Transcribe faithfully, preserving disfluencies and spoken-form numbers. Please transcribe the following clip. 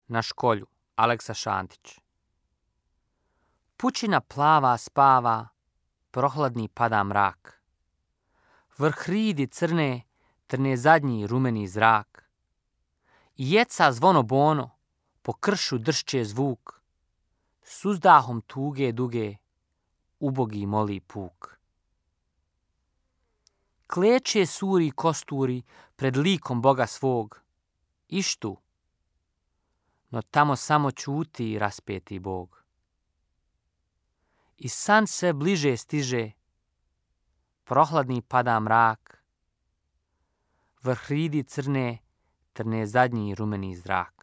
Na školju, Aleksa Šantić. Pučina plava spava, prohladni pada mrak. Vrh hridi crne, trne zadnji rumeni zrak. I jeca zvono bono, po kršu dršće zvuk. S uzdahom tuge duge, ubogi moli puk. Kleče suri kosturi pred likom Boga svog. Ištu, no tamo samo ćuti raspeti Bog. I san sve bliže stiže, prohladni pada mrak. Vrh hridi crne, trne zadnji rumeni zrak.